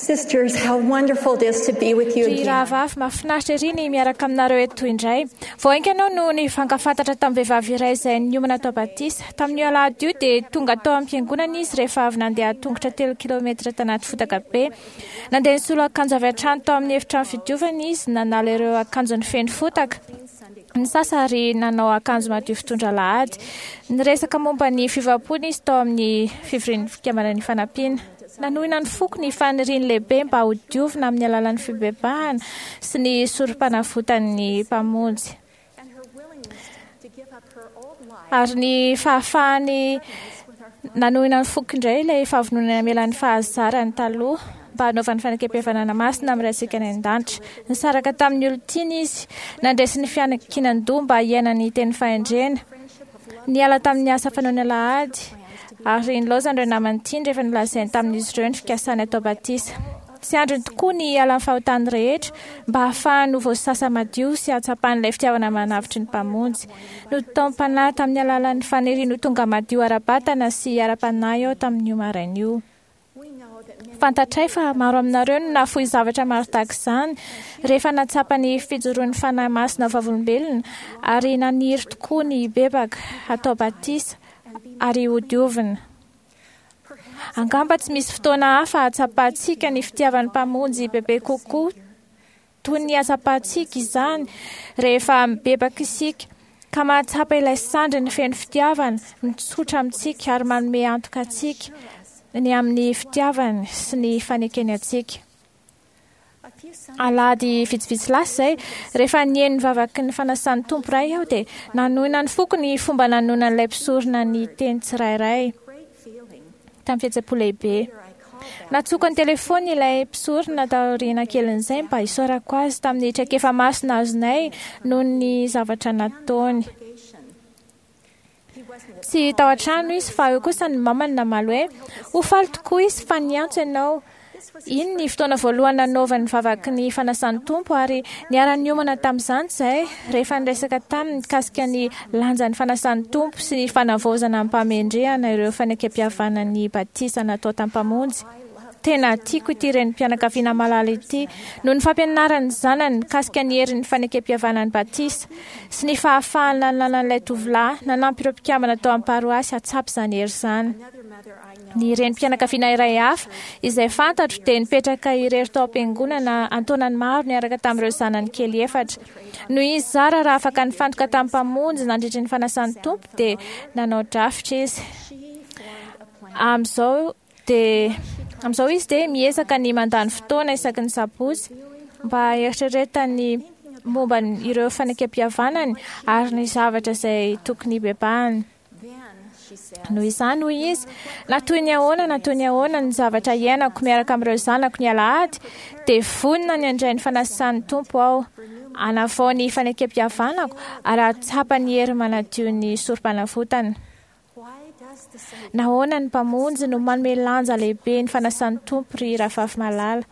Sisters, how wonderful it is to be with you Ry again. rahavavy, mahafinaritra ery ny miaraka aminareo eto indray. Vao haingana aho no nifankafantatra tamin'ny vehivavy iray izay niomana atao batisa. Tamin'io alahady io dia tonga tao am-piangonana izy rehefa avy nandeha tongotra 3 kilometatra tanaty fotaka be. Nandeha nisolo akanjo avy hatrany tao amin'ny efitrano fidiovana izy, nanala ireo akanjony feno fotaka. Nisasa ary nanao akanjo madio fitondra alahady. Niresaka momba ny fiovam-pony izy tao amin'ny fivorian'ny fikambanan'ny fanampiana. Nanohina ny foko ny faniriany lehibe mba ho diovina amin'ny alalan'ny fibebahana sy ny sorom-panavotan'ny Mpamonjy. And her willingness to give up her old life Ary ny fahafahany nanohina ny foko indray ilay fahavononana hamela ny fahazarany taloha mba hanaovany fanekempihavanana masina amin'ny Raintsika any an-danitra. Nisaraka tamin'ny olon-tiany izy, nandresy ny fiankinan-doha mba hiaina ny teny fahendrena. Niala tamin'ny asa fanaony alahady ary nilaozany ireo namany tiany rehefa nolazainy tamin'izy ireo ny fikasany atao batisa. Tsy andriny tokoa ny hiala amin'ny fahotany rehetra mba hahafahany ho voasasa madio sy hahatsapany ilay fitiavana manavotry ny Mpamonjy. Notaom-panahy tamin'ny alalan'ny faniriany ho tonga madio ara-batana sy ara-panahy aho tamin'io maraina io. We know that many Fantatray fa maro aminareo no nahafoy zavatra maro tahaka izany rehefa nahatsapa ny fijoroan'ny Fanahy Masina ho vavolombelona ary naniry tokoa ny hibebaka, hatao batisa ary hodiovina. perhaps Angamba tsy misy fotoana hafa hahatsapantsika ny fitiavan'ny Mpamonjy bebe kokoa toy ny hahatsapantsika izany rehefa mibebaka isika ka mahatsapa ilay sandriny feno fitiavana mitsotra amintsika ary manome antoka antsika ny amin'ny fitiavany sy ny fanekeny antsika. a few Sundays Alahady vitsivitsy lasa izay, rehefa nihaino ny vavaky ny fanasan'ny Tompo Ray aho dia nanohina ny foko ny fomba nanonan'ilay mpisorona ny teny tsirairay great feeling. tamin'ny fihetseham-po lehibe. Later I called that Nantsoiko ny telefony ilay mpisorona taoriana kelin'izay mba hisaorako azy tamin'ny traikefa masina azonay noho ny zavatra nataony. congregation. He wasn't at Tsy tao an-trano izy fa eo kosa ny mamany namaly hoe ho faly tokoa izy fa niantso ianao. This was his Iny ny fotoana voalohany nanaovany vavaky ny fanasan'ny Tompo ary niara-niomana tamin'izany izahay rehefa niresaka taminy mikasika ny lanjan'ny fanasan'ny Tompo sy ny fanavaozana amim-pahamendrehana ireo fanekempihavanan'ny batisa natao tamin'ny Mpamonjy. I love Tena tiako ity renim-pianakaviana malala ity noho ny fampianaran'ny zanany mikasika ny herin'ny fanekempihavanan'ny batisa sy ny fahafahana nanan'ilay tovolahy nanampy ireo mpikambana tao amin'ny paroasy hahatsapa izany hery izany. another mother I know. Ny renim-pianakaviana iray hafa izay fantatro dia nipetraka irery tao am-piangonana an-taonany maro niaraka tamin'ireo zanany kely efatra. Noho izy zara raha afaka nifantoka tamin'ny Mpamonjy nandritry ny fanasan'ny Tompo dia nanao drafitra izy. She formed a plan. Amin'izao dia amin'izao izy dia miezaka ny mandany fotoana isaky ny sabotsy mba hieritreretany momba ny- ireo fanekempihavanany ary ny zavatra izay tokony hibebahany. Then she said, Noho izany hoy izy, na toy ny ahoana na toy ny ahoana ny zavatra iainako miaraka amin'ireo zanako ny alahady, dia vonona ny handray ny fanasan'ny Tompo aho, hanavao ny fanekempihavanako ary hahatsapa ny hery manadio ny sorom-panavotana. Why does the Savior Nahoana ny Mpamonjy no manome lanja lehibe ny fanasan'ny Tompo ry rahavavy malala?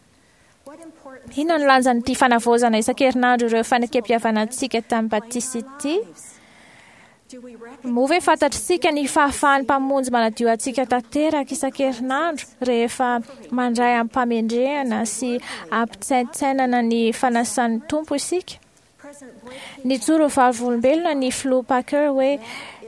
what importance Inona no lanjan'ity fanavaozana isan-kerinandro ireo fanekempihavanantsika tamin'ny batisa ity? lives? Do we recognize Moa ve fantatr'isika ny fahafahan'ny Mpamonjy manadio antsika tanteraka isan-kerinandro rehefa mandray amim-pahamendrehana sy ampitsaintsainana ny fanasan'ny Tompo isika? President Boyd Nijoro ho vavolombelona ny filoha Packer hoe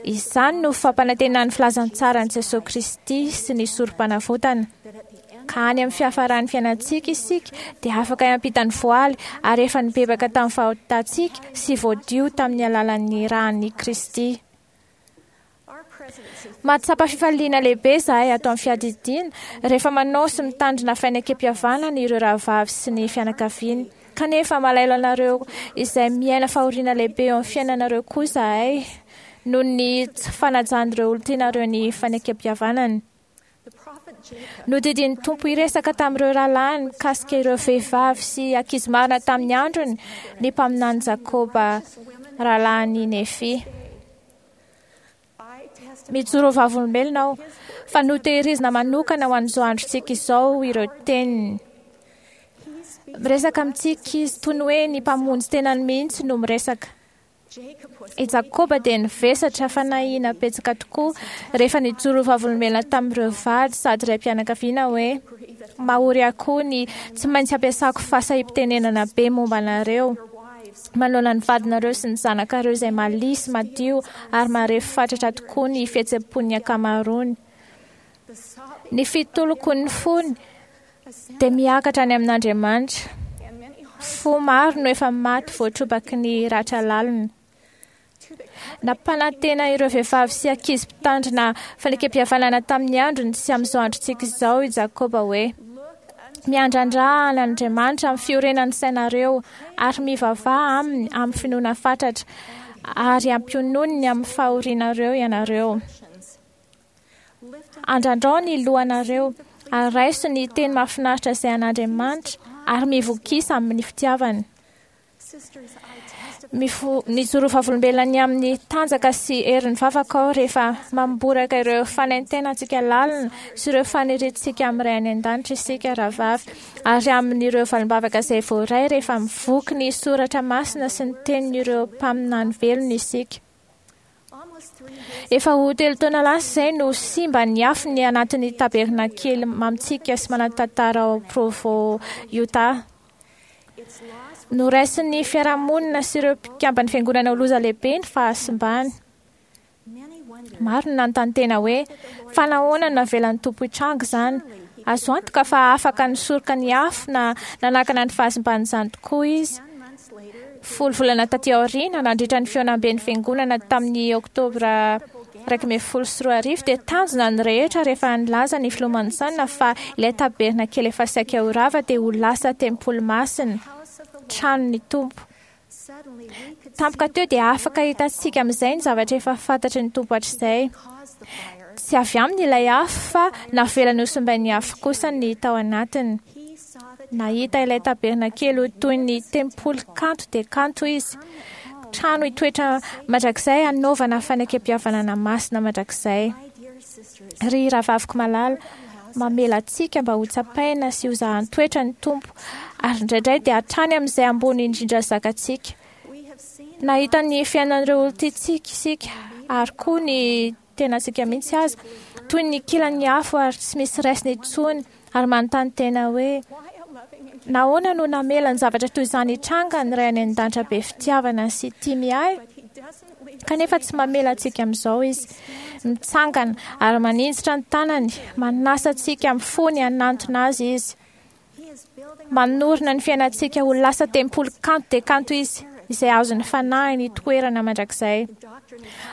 izany no fampanantenan'ny filazantsaran'i Jesosy Kristy sy ny sorom-panavotana. that at the end Ka any amin'ny fiafaran'ny fiainantsika isika dia afaka hiampita ny voaly ary efa nibebaka tamin'ny fahotantsika sy voadio tamin'ny alalan'ny ran'i Kristy. our presidency Mahatsapa fifaliana lehibe izahay ato amin'ny fiadidiana rehefa manao sy mitandrina fanekempihavanana ireo rahavavy sy ny fianakaviany. Kanefa malahelo anareo izay miaina fahoriana lehibe eo amin'ny fiainanareo koa izahay noho ny tsy fanajan'ireo olon-tianareo ny fanekempihavanany. the prophet Jacob Nodidian'ny Tompo hiresaka tamin'ireo rahalahiny mikasika ireo vehivavy sy ankizy marina tamin'ny androny ny mpaminany Jakoba rahalahin'i Nefy. I testify Mijoro ho vavolombelona aho fa notehirizina manokana ho an'izao androntsika izao ireo teniny. he speaks Miresaka amintsika izy toy ny hoe ny mpamonjy tenany mihitsy no miresaka. I Jakoba dia nivesatra fanahiana betsaka tokoa rehefa nijoro vavolombelona tamin'ireo vady sady raim-pianakaviana hoe mahory ahy koa ny tsy maintsy ampiasako fahasahiam-pitenenana be momba anareo manoloana ny vadinareo sy ny zanakareo izay malia sy madio ary marefo fatratra tokoa ny fihetseham-pon'ny ankamaroany. Ny fitolokon'ny fony dia miakatra any amin'Andriamanitra. Fo maro no efa maty voatrobaky ny ratra lalina. Nampanantena ireo vehivavy sy ankizy mpitandrina fanekem-pihavanana tamin'ny androny sy amin'izao androntsika izao i Jakoba hoe miandrandra an'Andriamanitra amin'ny fiorenan'ny sainareo ary mivavaha aminy amin'ny finoana fatratra ary ampiononiny amin'ny fahorianareo ianareo. Andrandrao ny lohanareo ary raiso ny teny mahafinaritra izay an'Andriamanitra ary mivokisa amin'ny fitiavany. Nijoro vavolombelona ny amin'ny tanjaka sy herin'ny vavaka aho rehefa mamboraka ireo fanaintainantsika lalina sy ireo faniriantsika amin'ny Ray any an-danitra isika rahavavy ary amin'ireo valim-bavaka izay voaray rehefa mivoky ny soratra masina sy ny tenin'ireo mpaminany velona isika. Efa ho 3 taona lasa izay no simba ny afo ny anatin'ny tabernakely mamintsika sy manan-tantara ao Provo, Utah. Noraisin'ny fiarahamonina sy ireo mpikamban'ny fiangonana ho loza lehibe ny fahasimbany. Maro no nanontany tena hoe fa nahoana no navelan'ny Tompo hitranga izany? Azo antoka fa afaka nisoroka ny afo na nanakana ny fahasimban'izany tokoa izy. 10 volana taty aoriana, nandritra ny fihaonamben'ny fiangonana tamin'ny oktobra 2011 dia tanjona ny rehetra rehefa nilaza ny filoha Monson fa ilay tabernakely efa saika ho rava dia ho lasa tempoly masina, tranon'ny Tompo. Tampoka teo dia afaka hitantsika amin'izay ny zavatra efa fantatry ny Tompo hatrizay. Tsy avy aminy ilay afo fa navelany ho simbain'ny afo kosa ny tao anatiny. Nahita ilay tabernakely ho toy ny tempoly kanto dia kanto izy. Trano hitoetra mandrakizay hanaovana fanekem-pihavanana masina mandrakizay. Ry rahavaviko malala, mamela antsika mba ho tsapaina sy ho zahan-toetra ny Tompo ary indraindray dia hatrany amin'izay ambony indrindra zakantsika. Nahita ny fiainan'ireo olon-tiantsika isika ary koa ny tenantsika mihitsy aza toy ny kilan'ny afo ary tsy misy raisina intsony ary manontany tena hoe nahoana no namela ny zavatra toy izany hitranga ny Ray any an-danitra be fitiavana sy tia miahy? Kanefa tsy mamela antsika amin'izao izy. Mitsangana ary maninjitra ny tanany, manasa antsika amin'ny fony hanantona azy izy. Manorina ny fiainantsika ho lasa tempoly kanto dia kanto izy, izay azon'ny fanahiny hitoerana mandrakizay.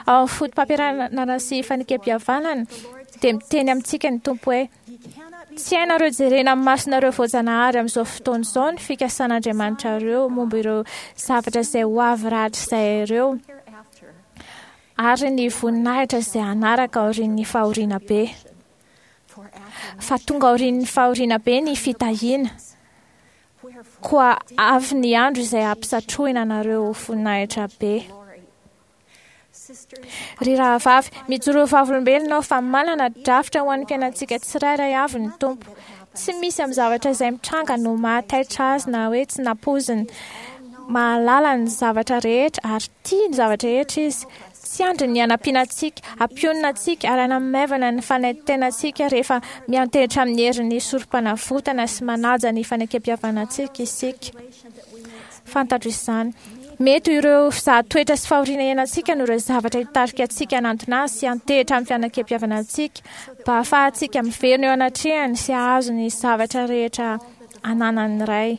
Ao amin'ny foto-pampianarana sy fanekem-pihavanana dia miteny amintsika ny Tompo hoe tsy hainareo jerena amin'ny masonareo voajanahary amin'izao fotoana izao ny fikasan'Andriamanitrareo momba ireo zavatra izay ho avy rahatrizay ireo ary ny voninahitra izay hanaraka aorian'ny fahoriana be. Fa tonga aorian'ny fahoriana be ny fitahiana. Koa avy ny andro izay hampisatrohina anareo voninahitra be. Ry rahavavy, mijoro vavolombelona aho fa manana drafitra ho an'ny fiainantsika tsirairay avy ny Tompo. Tsy misy amin'ny zavatra izay mitranga no mahataitra azy na hoe tsy nampoiziny. Mahalala ny zavatra rehetra ary tia ny zavatra rehetra izy. Tsy andry ny hanampiana antsika, hampionona antsika ary hanamaivana ny fanaintainantsika rehefa miantehitra amin'ny herin'ny sorom-panavotana sy manaja ny fanekem-pihavanantsika isika. Fantatro izany. Mety ireo fizahatoetra sy fahoriana iainantsika no ireo zavatra hitarika antsika hanantona azy sy hiantehitra amin'ny fanekem-pihavanantsika mba hahafahantsika miverina eo anatrehany sy hahazo ny zavatra rehetra ananan'ny Ray.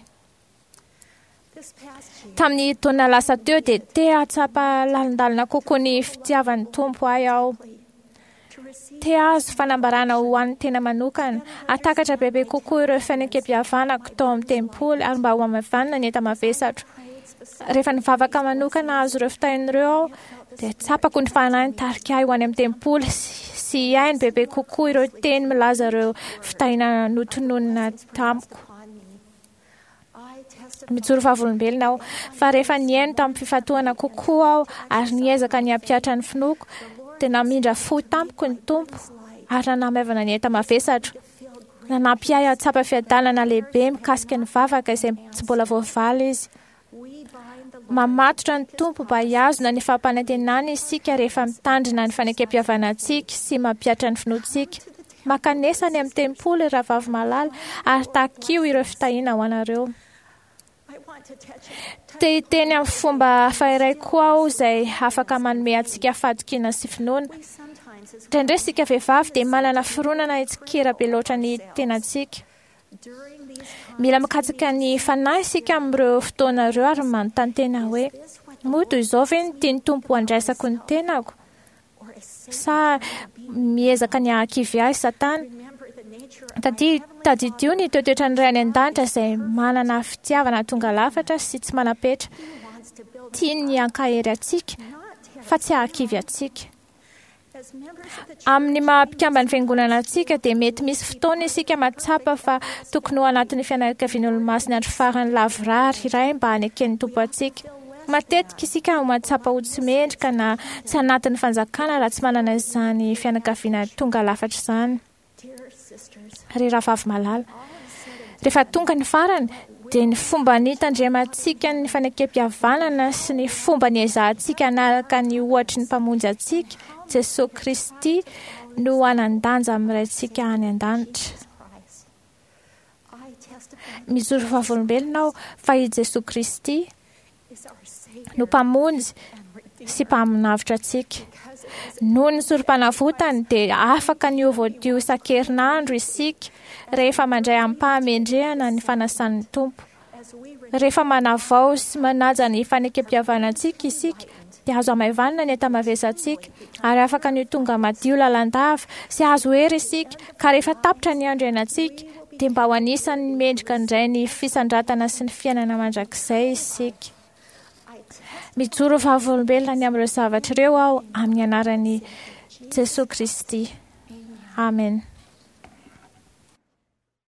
Tamin'ny taona lasa teo dia te hahatsapa lalindalina kokoa ny fitiavan'ny Tompo ahy aho. Te hahazo fanambarana ho an'ny tena manokana, hahatakatra bebe kokoa ireo fanekem-pihavanako tao amin'ny tempoly ary mba ho hamavanina ny enta-mavesatro. Rehefa nivavaka manokana hahazo ireo fitahiana ireo aho, dia tsapako ny fanahy nitarika ahy ho any amin'ny tempoly sy hihaino bebe kokoa ireo teny milaza ireo fitahiana notononina tamiko. Mijoro vavolombelona aho fa rehefa nihaino tamin'ny fifantohana kokoa aho ary niezaka ny hampihatra ny finoako, dia namindra fo tamiko ny Tompo ary nanamaivana ny enta-mavesatro. Nanampy ahy hahatsapa fiadanana lehibe mikasika ny vavaka izay tsy mbola voavaly izy. Mamatotra ny Tompo mba hihazona ny fampanantenany isika rehefa mitandrina ny fanekempihavanantsika sy mampihatra ny finoantsika. Mankanesa any amin'ny tempoly, rahavavy malala, ary takio ireo fitahiana ho anareo. Te hiteny amin'ny fomba hafa iray koa aho izay afaka manome antsika fahatokiana sy finoana. Indraindray isika vehivavy dia manana fironana hitsikera be loatra ny tenantsika. Mila mikatsaka ny fanahy isika amin'ireo fotoana ireo ary manontany tena hoe, moa toy izao ve no tian'ny Tompo handraisako ny tenako? Sa miezaka ny hahakivy ahy Satana? Tadidio ny toetoetran'ny Ray any an-danitra izay manana fitiavana tonga lafatra sy tsy manam-petra. Tiany ny hankahery antsika fa tsy hahakivy antsika. Amin'ny maha mpikamban'ny fiangonana antsika dia mety misy fotoana isika mahatsapa fa tokony ho anatin'ny fianakavian'Olomasin'ny andro farany lavorary iray mba haneken'ny Tompo antsika. Matetika isika no mahatsapa ho tsy mendrika na tsy anatin'ny fanjakana raha tsy manana izany fianakaviana tonga lafatra izany. Ry rahavavy malala, rehefa tonga ny farany dia ny fomba nitandremantsika ny fanekempihavanana sy ny fomba niezahantsika hanaraka ny ohatry ny Mpamonjy antsika, Jesoa Kristy, no hanan-danja amin'ny Raintsika any an-danitra. Mijoro vavolombelona aho fa i Jesoa Kristy no Mpamonjy sy Mpaminavotra antsika. Noho ny sorom-panavotany dia afaka ny ho voadio isan-kerinandro isika rehefa mandray amim-pahamendrehana ny fanasan'ny Tompo. Rehefa manavao sy manaja ny fanekempihavanantsika isika dia azo hamaivanina ny enta-mavesantsika ary afaka ny ho tonga madio lalandava sy azo hery isika, ka rehefa tapitra ny andro iainantsika dia mba ho anisan'ny mendrika indray ny fisandratana sy ny fiainana mandrakizay isika. Mijoro vavolombelona ny amin'ireo zavatra ireo aho amin'ny anaran'i Jesoa Kristy. Amen.